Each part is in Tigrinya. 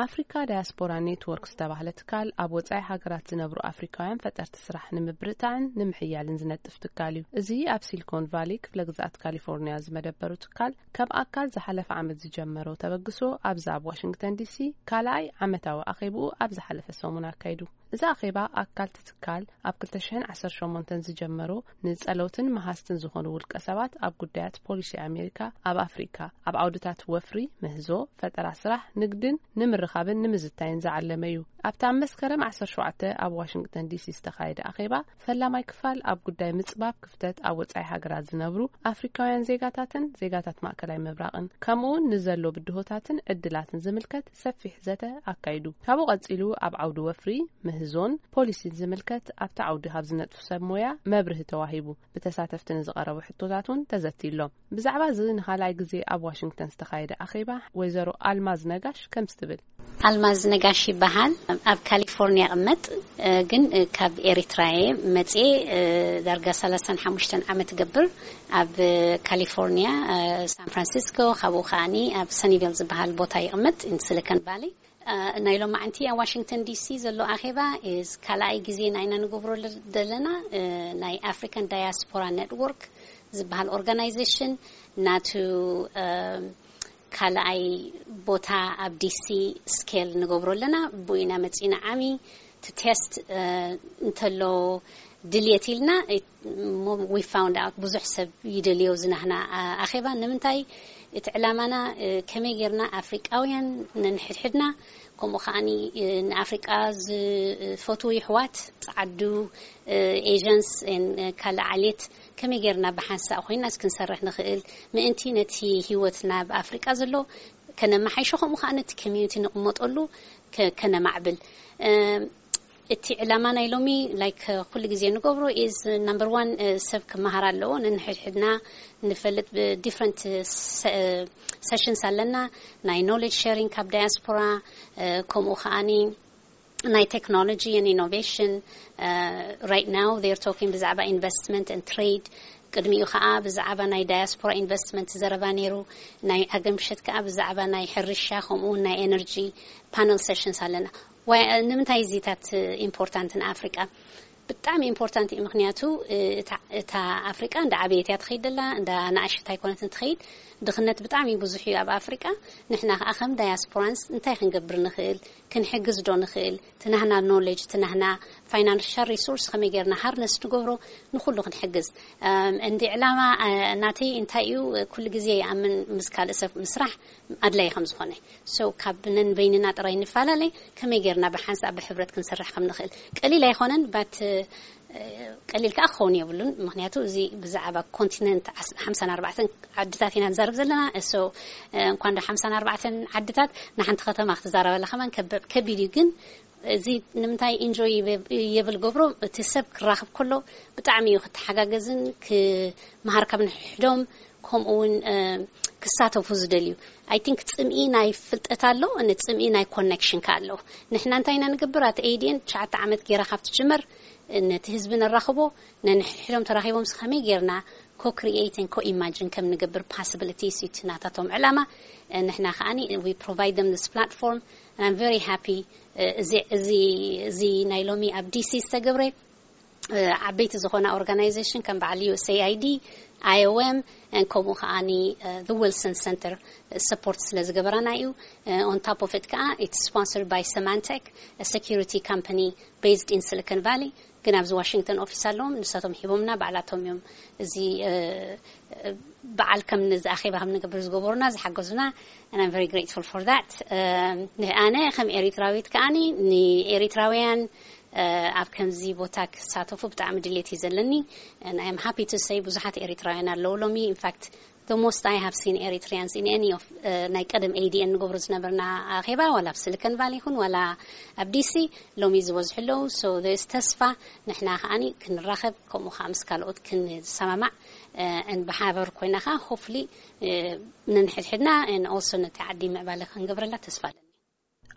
ኣፍሪካ ዳያስፖራ ኔትወርክ ዝተባህለ ትካል ኣብ ወጻኢ ሃገራት ዝነብሩ ኣፍሪካውያን ፈጠርቲ ስራሕ ንምብርታዕን ንምሕያልን ዝነጥፍ ትካል እዩ። እዚ ኣብ ሲሊኮን ቫሊ ክፍለ ግዝኣት ካሊፎርኒያ ዝመደበሩ ትካል ካብ ኣካል ዝሓለፈ ዓመት ዝጀመሮ ተበግሶ ኣብዚ ኣብ ዋሽንግተን ዲሲ ካልኣይ ዓመታዊ ኣኼብኡ ኣብ ዝሓለፈ ሰሙን ኣካይዱ። እዚ ኣኼባ ኣካል እቲ ትካል ኣብ ክልተ ሽሕን ዓሰርተ ሸሞንተን ዝጀመሮ ንጸለውትን መሃዝትን ዝኾኑ ውልቀ ሰባት ኣብ ጉዳያት ፖሊሲ ኣሜሪካ ኣብ ኣፍሪካ ኣብ ዓውድታት ወፍሪ፣ ምህዞ፣ ፈጠራ ስራሕ፣ ንግድን ንምርኻብን ንምዝታይን ዝዓለመ እዩ። ኣብቲ ኣብ መስከረም ዓሰርተ ሸውዓተ ኣብ ዋሽንግተን ዲሲ ዝተኻየደ ኣኼባ ፈላማይ ክፋል ኣብ ጉዳይ ምጽባብ ክፍተት ኣብ ወጻኢ ሃገራት ዝነብሩ ኣፍሪካውያን ዜጋታትን ዜጋታት ማእከላይ ምብራቕን ከምኡውን ንዘሎ ብድሆታትን ዕድላትን ዝምልከት ሰፊሕ ዘተ ኣካይዱ። ካብኡ ቀጺሉ ኣብ ዓውዲ ወፍሪ፣ ምህዞን ፖሊሲን ዝምልከት ኣብቲ ዓውዲ ካብ ዝነጥፉ ሰብ ሞያ መብርሂ ተዋሂቡ። ብተሳተፍቲ ንዝቐረቡ ሕቶታት እውን ተዘትዩ ኣሎ። ብዛዕባ እዚ ንኻልኣይ ግዜ ኣብ ዋሽንግተን ዝተኻየደ ኣኼባ ወይዘሮ ኣልማዝ ነጋሽ ከምዚ ትብል። ኣልማዝ ነጋሽ ይበሃል። ኣብ ካሊፎርኒያ እቕመጥ፣ እ፣ ግን፣ እ፣ ካብ ኤሪትራ እየ መጽኤ፣ እ፣ ዳርጋ ሰላሳን ሓሙሽተን ዓመት እገብር ኣብ፣ እ፣ ካሊፎርኒያ፣ እ፣ ሳን ፍራንሲስኮ፣ ካብኡ ከኣኒ ኣብ ሰኒቬል ዝበሃል ቦታ ይቕመጥ፣ ኢን ሲሊኮን ቫሊ። እ፣ ናይ ሎማዓንቲ ኣብ ዋሽንግተን ዲሲ ዘሎ ኣኼባ ኢዝ ካልኣይ ግዜ ናይና ንገብሮ ለ-፣ ዘለና፣ እ፣ ናይ ኣፍሪካን ዳያስፖራ ኔትወርክ ዝበሃል ኦርጋናይዜሽን ናቱ፣ እ፣ ካልኣይ ቦታ ኣብ ዲሲ ስኬል ንገብሮ ኣለና። ብኡ ኢና መጺና ዓሚ እቲ ቴስት፣ እ፣ እንተሎ ድልየት ኢልና፣ እ፣ ሞ-፣ we found out ብዙሕ ሰብ ይደልዮ ዝናህና፣ እ፣ ኣኼባ። ንምንታይ እቲ ዕላማና፣ እ፣ ከመይ ጌርና ኣፍሪቃውያን ነንሕድሕድና፣ ከምኡ ከኣኒ፣ እ፣ ንኣፍሪቃ ዝፈትዉ ይሕዋት፣ ጸዓዱ፣ እ፣ ኤጀንስ፣ ን፣ እ፣ ካልእ ዓሌት ከመይ ጌርና ብሓንሳእ ኮይና ክንሰርሕ ንኽእል ምእንቲ ነቲ ህይወትና ኣብ ኣፍሪቃ ዘሎ ከነመሓይሾ፣ ከምኡ ከኣ ነቲ ኮሚዩኒቲ ንቕመጠሉ ከ-፣ ከነማዕብል። እ፣ እቲ ዕላማ ናይ ሎሚ፣ ላይክ፣ ኩሉ ግዜ ንገብሮ ኢዝ ናምበር ዋን፣ እ፣ ሰብ ክመሃር ኣለዎ። ነንሕድሕድና ንፈልጥ ብዲፍረንት ሰ-፣ ሰሽንስ ኣለና። ናይ ኖሌጅ ሼሪንግ ካብ ዳያስፖራ፣ እ፣ ከምኡ ከኣኒ ናይ ቴክኖሎጂ and ኢኖቬሽን፣ እ፣ right now they're talking ብዛዕባ ኢንቨስትመንት and ትሬድ። ቅድሚኡ ከኣ ብዛዕባ ናይ ዳያስፖራ ኢንቨስትመንት ዘረባ ነይሩ። ናይ ዓገምሸት ከኣ ብዛዕባ ናይ ሕርሻ ከምኡ እውን ናይ ኤነርጂ ፓነል ሰሽንስ ኣለና። ዋይ-፣ ንምንታይ እዚታት ኢምፖርታንት ንኣፍሪቃ? ብጣዕሚ ኢምፖርታንት እዩ። ምኽንያቱ፣ እ፣ እታ፣ እታ ኣፍሪቃ እንዳ ዓበየት እያ ትኸይድ ዘላ፣ እንዳ ናእሽት ኣይኮነትን ትኸይድ። ድኽነት ብጣዕሚ ብዙሕ እዩ ኣብ ኣፍሪቃ። ንሕና ከኣ ከም ዳያስፖራንስ እንታይ ክንገብር ንኽእል? ክንሕግዝ ዶ ንኽእል? እቲ ናህና ኖሌጅ፣ እቲ ናህና ፋይናንሻል ሪሶርስ ከመይ ጌርና ሃርነስ ንገብሮ ንኹሉ ክንሕግዝ? እም፣ እንዲ ዕላማ፣ እ፣ ናተይ እንታይ እዩ? ኩሉ ግዜ ይኣምን ምስ ካልእ ሰብ ምስራሕ ኣድላይ ከም ዝኾነ። ሶ ካብ ነንበይንና ጥራይ ንፈላለ፣ ከመይ ጌርና ብሓንሳእ ብሕብረት ክንሰርሕ ከም ንኽእል? ቀሊል ኣይኾነን፣ ባት፣ እ፣ ቀሊል ከኣ ክኸውን የብሉን። ምኽንያቱ እዚ ብዛዕባ ኮንቲነንት ዓስ-፣ ሓምሳን ኣርባዕተን ዓድታት ኢና ንዛረብ ዘለና። ሶ፣ እ፣ እንኳን ዶ ሓምሳን ኣርባዕተን ዓድታት ንሓንቲ ከተማ ክትዛረበላ ከማን ከብ-፣ ከቢድ እዩ። ግን እዚ ንምንታይ ኢንጆይ ይብ-፣ የብል ገብሮ፣ እቲ ሰብ ክራኸብ ከሎ ብጣዕሚ እዩ ክተሓጋገዝን ክመሃር ካብ ንሕዶም ከምኡ እውን፣ እ፣ ክሳተፉ ዝደልዩ። ኣይ ቲንክ ጽምኢ ናይ ፍልጠት ኣሎ፣ ን-፣ ጽምኢ ናይ ኮኔክሽን ከ ኣሎ። ንሕና እንታይ ኢና ንገብር? ኣቲ ኤ ዲ ኤን ትሽዓተ ዓመት ጌራ ካብ ትጅመር፣ እ፣ ነቲ ህዝቢ ነራኽቦ፣ ነንሕድሕዶም ተራኺቦም ስ ከመይ ጌርና ኮ-ክሪኤትን ኮ-ኢማጅን ከም ንገብር ፓስብሊቲስ እዩ እቲ ናታቶም ዕላማ። እ፣ ንሕና ከኣኒ we provide them this platform and I'm very happy። እ፣ እዚ፣ እዚ፣ እዚ ናይ ሎሚ ኣብ ዲ ሲ ዝተገብረ፣ እ፣ ዓበይቲ ዝኾና ኦርጋናይዜሽን ከም በዓል ዩ ኤስ ኤ ኣይ ዲ፣ ኣይ ኦ ኤም፣ እ፣ ከምኡ ከኣኒ፣ እ፣ the Wilson Center ሰፖርት ስለ ዝገበራና እዩ። እ፣ on top of it ከኣ it's sponsored by Symantec, a security company based in Silicon Valley። ግን ኣብዚ ዋሽንግተን ኦፊስ ኣለዎም፣ ንሳቶም ሂቦምና፣ ባዕላቶም እዮም እዚ፣ እ፣ እ፣ በዓል ከም ንዚ ኣኼባ ከም ንገብር ዝገበሩና፣ ዝሓገዙና፣ and I'm very grateful for that። እ፣ ንኣነ ከም ኤሪትራዊት ከኣኒ ንኤሪትራውያን፣ እ፣ ኣብ ከምዚ ቦታ ክሳተፉ ብጣዕሚ ድሌት እዩ ዘለኒ። And I am happy to say ብዙሓት ኤሪትራውያን ኣለዉ ሎሚ። In fact, the most I have seen Eritreans in any of፣ እ፣ ናይ ቀደም ኤ ዲ ኤን ንገብሮ ዝነበርና ኣኼባ፣ ዋላ ኣብ ሲሊኮን ቫሊ ይኹን ዋላ ኣብ ዲ ሲ፣ ሎሚ ዝበዝሑ ኣለዉ። So there is ተስፋ፣ ንሕና ከኣኒ ክንራኸብ፣ ከምኡ ከኣ ምስ ካልኦት ክንሰማማዕ፣ እ፣ and ብሓበር ኮይና ከኣ ሆፕፉሊ፣ እ፣ ነንሕድሕድና and also ነቲ ዓዲ ምዕባለ ክንገብረላ ተስፋ ኣለኒ።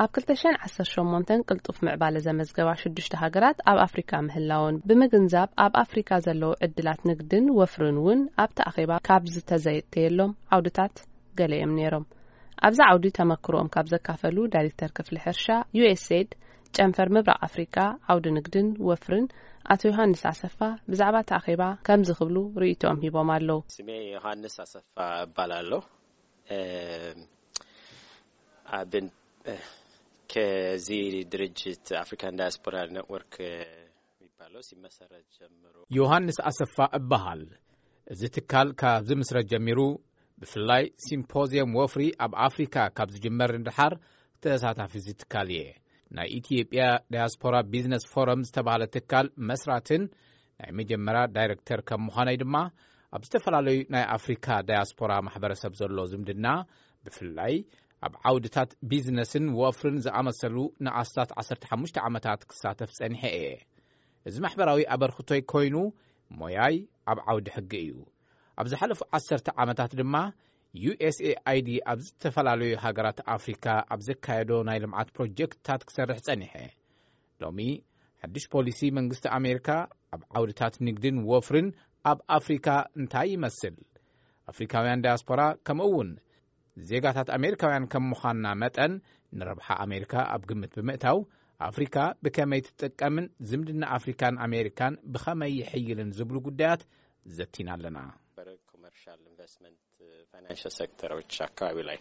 ኣብ ክልተ ሽሕን ዓሰርተ ሸሞንተን ቅልጡፍ ምዕባለ ዘመዝገባ ሽዱሽተ ሃገራት ኣብ ኣፍሪካ ምህላወን ብምግንዛብ፣ ኣብ ኣፍሪካ ዘለዉ ዕድላት ንግድን ወፍርን እውን ኣብቲ ኣኼባ ካብ ዝተዘተየሎም ዓውድታት ገለ እዮም ነይሮም። ኣብዚ ዓውዲ ተመክሮኦም ካብ ዘካፈሉ ዳይሬክተር ክፍሊ ሕርሻ ዩ ኤስ ኤድ ጨንፈር ምብራቕ ኣፍሪቃ ዓውዲ ንግድን ወፍርን ኣቶ ዮሃንስ ኣሰፋ ብዛዕባ እቲ ኣኼባ ከምዚ ክብሉ ርእይቶኦም ሂቦም ኣለዉ። ስሜ ዮሃንስ ኣሰፋ እባላለሁ። ከዚህ ድርጅት አፍሪካን ዳያስፖራ ኔትወርክ የሚባለው ሲመሰረት ጀምሮ ዮሃንስ ኣሰፋ እበሃል። እዚ ትካል ካብ ዝምስረት ጀሚሩ ብፍላይ ሲምፖዚየም ወፍሪ ኣብ ኣፍሪካ ካብ ዝጅመር ንድሓር ተሳታፊ እዚ ትካል እየ። ናይ ኢትዮጵያ ዳያስፖራ ቢዝነስ ፎረም ዝተባህለ ትካል መስራትን ናይ መጀመርያ ዳይረክተር ከም ምዃነይ ድማ ኣብ ዝተፈላለዩ ናይ ኣፍሪካ ዳያስፖራ ማሕበረሰብ ዘሎ ዝምድና ብፍላይ ኣብ ዓውድታት ቢዝነስን ወፍርን ዝኣመሰሉ ንኣስታት ዓሰርተ ሓሙሽተ ዓመታት ክሳተፍ ጸኒሐ እየ። እዚ ማሕበራዊ ኣበርክቶይ ኮይኑ ሞያይ ኣብ ዓውዲ ሕጊ እዩ። ኣብ ዝሓለፉ ዓሰርተ ዓመታት ድማ ዩ ኤስ ኤ ኣይ ዲ ኣብ ዝተፈላለዩ ሃገራት ኣፍሪካ ኣብ ዘካየዶ ናይ ልምዓት ፕሮጀክትታት ክሰርሕ ጸኒሐ። ሎሚ ሓድሽ ፖሊሲ መንግስቲ ኣሜሪካ ኣብ ዓውድታት ንግድን ወፍርን ኣብ ኣፍሪካ እንታይ ይመስል? ኣፍሪካውያን ዳያስፖራ ከምኡ እውን ዜጋታት ኣሜሪካውያን ከም ምዃንና መጠን ንረብሓ ኣሜሪካ ኣብ ግምት ብምእታው ኣፍሪካ ብከመይ ትጥቀምን ዝምድና ኣፍሪካን ኣሜሪካን ብኸመይ ይሕይልን ዝብሉ ጉዳያት ዘቲና ኣለና። ኮመርሻል ኢንቨስትመንት ፋይናንሻል ሴክተሮች አካባቢ ላይ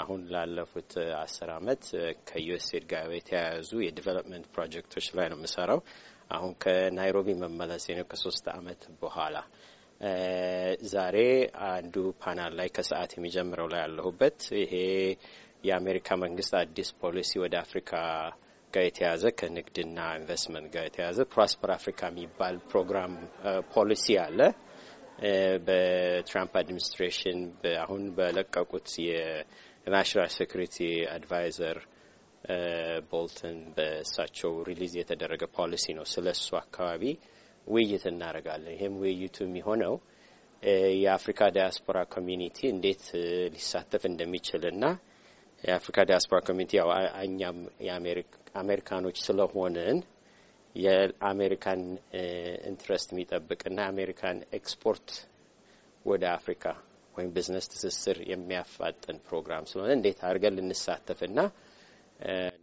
አሁን ላለፉት አስር አመት ከዩኤስኤድ ጋር የተያያዙ የዲቨሎፕመንት ፕሮጀክቶች ላይ ነው የምሰራው። አሁን ከናይሮቢ መመለሴ ነው ከሶስት አመት በኋላ። ዛሬ አንዱ ፓናል ላይ ከሰዓት የሚጀምረው ላይ ያለሁበት ይሄ የአሜሪካ መንግስት አዲስ ፖሊሲ ወደ አፍሪካ ጋር የተያዘ ከንግድና ኢንቨስትመንት ጋር የተያዘ ፕሮስፐር አፍሪካ የሚባል ፕሮግራም ፖሊሲ አለ። በትራምፕ አድሚኒስትሬሽን አሁን በለቀቁት የናሽናል ሴኩሪቲ አድቫይዘር ቦልተን በእሳቸው ሪሊዝ የተደረገ ፖሊሲ ነው። ስለሱ አካባቢ ውይይት እናደርጋለን። ይህም ውይይቱ የሚሆነው የአፍሪካ ዳያስፖራ ኮሚኒቲ እንዴት ሊሳተፍ እንደሚችል እና የአፍሪካ ዳያስፖራ ኮሚኒቲ ያው እኛም አሜሪካኖች ስለሆንን የአሜሪካን ኢንትረስት የሚጠብቅና የአሜሪካን ኤክስፖርት ወደ አፍሪካ ወይም ቢዝነስ ትስስር የሚያፋጥን ፕሮግራም ስለሆነ እንዴት አድርገን ልንሳተፍና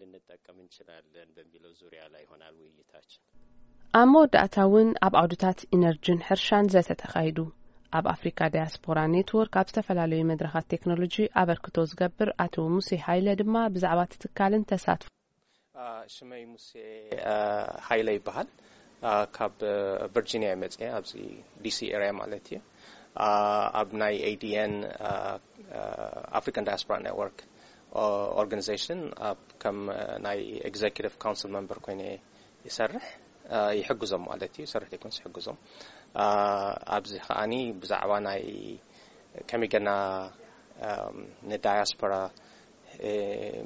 ልንጠቀም እንችላለን በሚለው ዙሪያ ላይ ይሆናል ውይይታችን። ኣብ መወዳእታ እውን ኣብ ዓውድታት ኢነርጂን ሕርሻን ዘተ ተኻይዱ። ኣብ ኣፍሪካ ዳያስፖራ ኔትወርክ ኣብ ዝተፈላለዩ መድረኻት ቴክኖሎጂ ኣበርክቶ ዝገብር ኣቶ ሙሴ ሃይለ ድማ ብዛዕባ እቲ ትካልን ተሳትፎ ሽመይ ሙሴ ሃይለ ይበሃል። ካብ ቨርጂኒያ ይመፅእ ኣብዚ ዲሲ ኤሪያ ማለት እዩ። ኣብ ናይ ኤዲኤን ኣፍሪካን ዳያስፖራ ኔትወርክ ኦርጋኒዜሽን ከም ናይ ኤግዜኪቲቭ ካውንስል መንበር ኮይነ ይሰርሕ ይሕግዞም ማለት እዩ። ይሰርሕ ዘይኮንስ ይሕግዞም። ኣብዚ ከዓኒ ብዛዕባ ናይ ከመይ ገና ንዳያስፖራ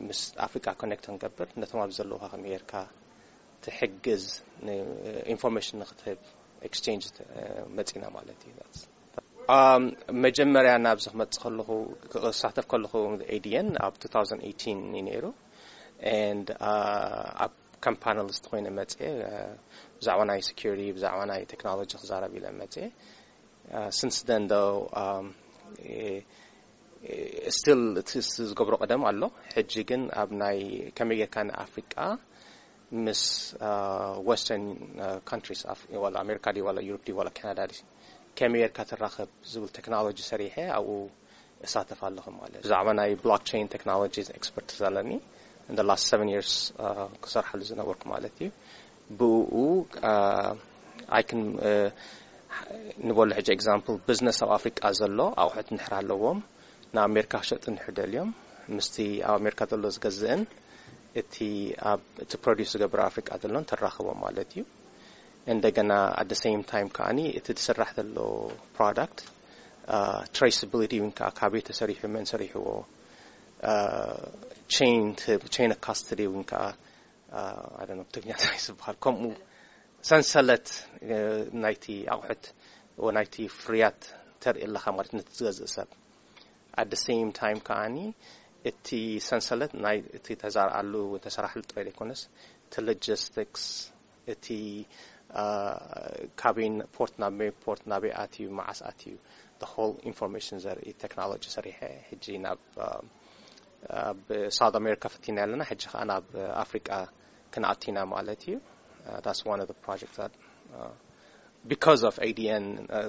ምስ ኣፍሪቃ ኮኔክት ክንገብር ነቶም ኣብ ዘለውካ ከመይ ጌርካ ትሕግዝ ኢንፎርሜሽን ንክትህብ ኤክስቼንጅ መፂና ማለት እዩ። መጀመርያ ናብዚ ክመፅእ ከለኹ ክሳተፍ ከለኹ ኤዲኤን ኣብ two thousand eighteen እዩ ነይሩ። And ኣብ ከም ፓነሊስት ኮይነ መፅየ ብዛዕባ ናይ ሴኩሪቲ ብዛዕባ ናይ ቴክኖሎጂ ክዛረብ ኢለ መፅየ። Since then though still እቲ ዝገብሮ ቀደም ኣሎ። ሕጂ ግን ኣብ ናይ ከመይ ጌርካ ንኣፍሪቃ ምስ ወስተርን ካንትሪስ ዋላ ኣሜሪካ ድዩ ዋላ ዩሮፕ ድዩ ዋላ ካናዳ ድዩ ከመይ ጌርካ ትራኸብ ዝብል ቴክኖሎጂ ሰሪሐ ኣብኡ እሳተፍ ኣለኹ ማለት። ብዛዕባ ናይ ብሎክቸይን ቴክኖሎጂ ኤክስፐርት ዘለኒ in the last seven years ክሰርሓሉ ዝነበርኩ ማለት እዩ። ብኡ I can ንበሎ ሕጂ ኤግዛምፕል ቢዝነስ ኣብ ኣፍሪቃ ዘሎ ኣቑሑት እንድሕር ኣለዎም ንኣሜሪካ ክሸጡ እንድሕር ደልዮም ምስቲ ኣብ ኣሜሪካ ዘሎ ዝገዝእን እቲ ኣብ እቲ ፕሮዲስ ዝገብር ኣፍሪቃ ዘሎን ተራኽቦም ማለት እዩ። እንደገና at the same time ከዓኒ እቲ ዝስራሕ ዘሎ ፕሮዳክት ትሬስብሊቲ እውን ከዓ ካበይ ተሰሪሑ መን ሰሪሕዎ ቼን ኦፍ ካስትዲ እውን ከዓ ትግኛ እንታይ ዝበሃል ከምኡ ሰንሰለት ናይቲ ኣቑሑት ናይቲ ፍርያት ተርኢ ኣለካ ማለት ነቲ ዝገዝእ ሰብ። At the same time ከዓኒ እቲ ሰንሰለት ናይ እቲ ተዛርኣሉ ተሰራሕሉ ጥራይ ዘይኮነስ እቲ ሎጂስቲክስ እቲ ካበይ ፖርት ናብ መይ ፖርት ናበይ ኣትዩ መዓስ ኣትዩ the whole information ዘርኢ ቴክኖሎጂ ሰሪሐ ሕጂ ናብ ኣብ ሳውት ኣሜሪካ ፈቲና ኣለና፣ ሕጂ ከዓ ናብ ኣፍሪቃ ክንኣቲና ማለት እዩ። That's one of the projects that because of A D N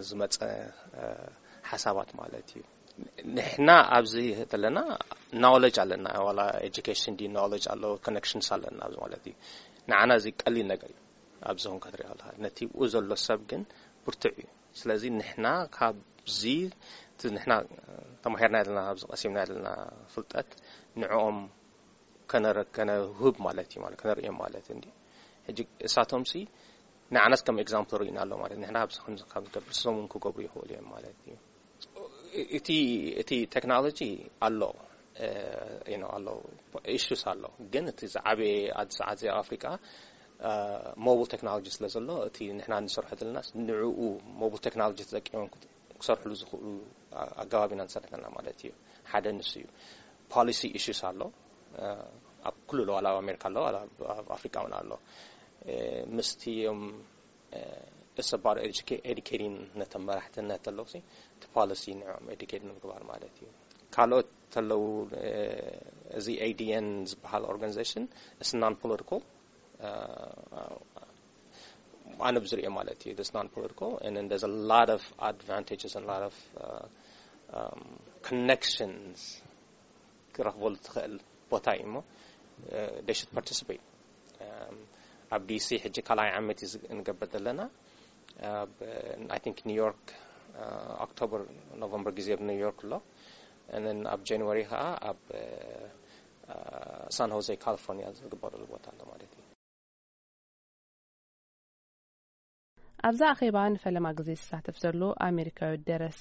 ዝመፀ ሓሳባት ማለት እዩ። ንሕና ኣብዚ ዘለና knowledge ኣለና፣ ዋላ education ዲ knowledge ኣሎ፣ connections ኣለና ኣብዚ ማለት እዩ። ንዓና እዚ ቀሊል ነገር እዩ። ኣብዚ ኹን ክትሪኦ ኣለካ፣ ነቲ ብኡ ዘሎ ሰብ ግን ብርቱዕ እዩ። ስለዚ ንሕና ካብዚ እቲ ንሕና ተማሂርና ዘለና፣ ኣብዚ ቀሲምና ዘለና ፍልጠት ንዕኦም ከነረ- ከነውህብ ማለት እዩ፣ ማለት ከነርእዮም ማለት እንዲ። ሕጂ እሳቶም ሲ ንዓናስ ከም example ርኢና ኣሎ ማለት፣ ንሕና ኣብዚ ከም ከም ንገብር ንሶም እውን ክገብሩ ይኽእሉ እዮም ማለት እዩ። እቲ እቲ ቴክኖሎጂ ኣሎ፣ ኣሎ፣ issues ኣሎ። ግን እቲ ዝዓበየ ኣብዚ ሰዓት እዚ ኣብ ኣፍሪቃ mobile technology ስለ ዘሎ፣ እቲ ንሕና ንሰርሖ ዘለና ንዕኡ mobile technology ተጠቂሞም ክሰርሕሉ ዝኽእሉ ኣገባብ ኢና ንሰርሕ ዘለና ማለት እዩ። ሓደ ንሱ እዩ። Policy issues ኣሎ፣ ኣብ ኩሉ ኣሎ፣ ዋላ ኣብ ኣሜሪካ ኣሎ፣ ዋላ ኣብ ኣፍሪቃ እውን ኣሎ። ምስቲ እዮም it's about educating ነቶም መራሕትነት ኣለዉ እቲ policy ንዕኦም educate ንምግባር ማለት እዩ። ካልኦት ተለዉ፣ እዚ A D N ዝበሃል organization is non political፣ ኣነ ብዝሪኦ ማለት እዩ። It's non political and then there's a lot of advantages and a lot of connections ክረኽበሉ ትኽእል ቦታ እዩ እሞ they should participate። ኣብ D C ሕጂ ካልኣይ ዓመት እዩ ንገብር ዘለና። I think New York October November ግዜ ኣብ New York ኣሎ። And then ኣብ January ከዓ ኣብ San Jose California ዝግበረሉ ቦታ ኣሎ ማለት እዩ። ኣብዛ ኣኼባ ንፈለማ ግዜ ዝሳተፍ ዘሎ ኣሜሪካዊ ደረስ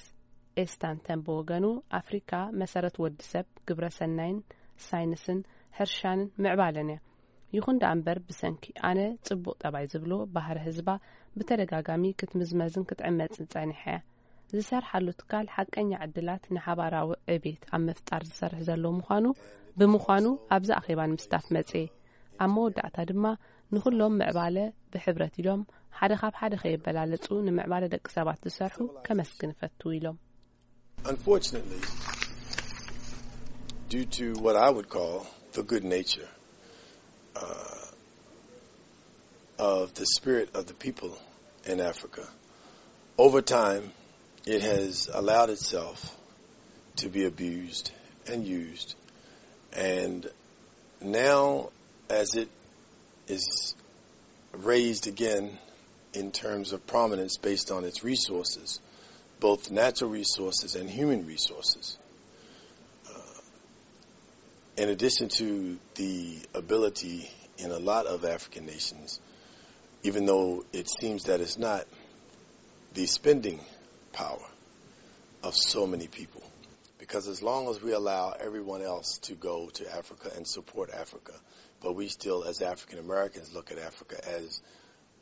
ኤስታንተን ብወገኑ፣ ኣፍሪካ መሰረት ወዲ ሰብ፣ ግብረ ሰናይን ሳይንስን ሕርሻንን ምዕባለን እያ። ይኹን ደኣ እምበር፣ ብሰንኪ ኣነ ጽቡቕ ጠባይ ዝብሎ ባህሪ ህዝባ ብተደጋጋሚ ክትምዝመዝን ክትዕመጽን ጸኒሓ እያ። ዝሰርሓሉ ትካል ሓቀኛ ዕድላት ንሓባራዊ ዕቤት ኣብ ምፍጣር ዝሰርሕ ዘሎ ምዃኑ ብምዃኑ ኣብዚ ኣኼባ ንምስታፍ መጽየ። ኣብ መወዳእታ ድማ ንኹሎም ምዕባለ ብሕብረት ኢሎም ሓደ ካብ ሓደ ከየበላለጹ ንምዕባለ ደቂ ሰባት ዝሰርሑ ከመስግን እፈቱ ኢሎም። Unfortunately, due to what I would call the good nature uh, of the spirit of the people in Africa, over time it has allowed itself to be abused and used. And now, as it is raised again in terms of prominence based on its resources, both natural resources and human resources, uh, in addition to the ability in a lot of African nations, even though it seems that it's not, the spending power of so many people. Because as long as we allow everyone else to go to Africa and support Africa, but we still, as African Americans, look at Africa as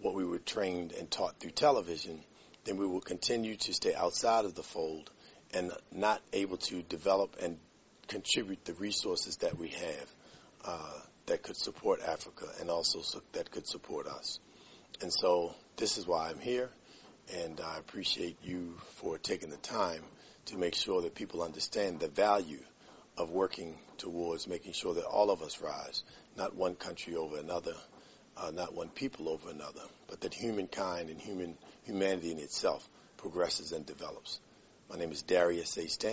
what we were trained and taught through television, then we will continue to stay outside of the fold and not able to develop and contribute the resources that we have uh, that could support Africa and also su- that could support us. And so this is why I'm here, and I appreciate you for taking the time to make sure that people understand the value of working towards making sure that all of us rise, not one country over another, uh, not one people over another, but that humankind and human humanity in itself progresses and develops. My name is Darius A. Stanton.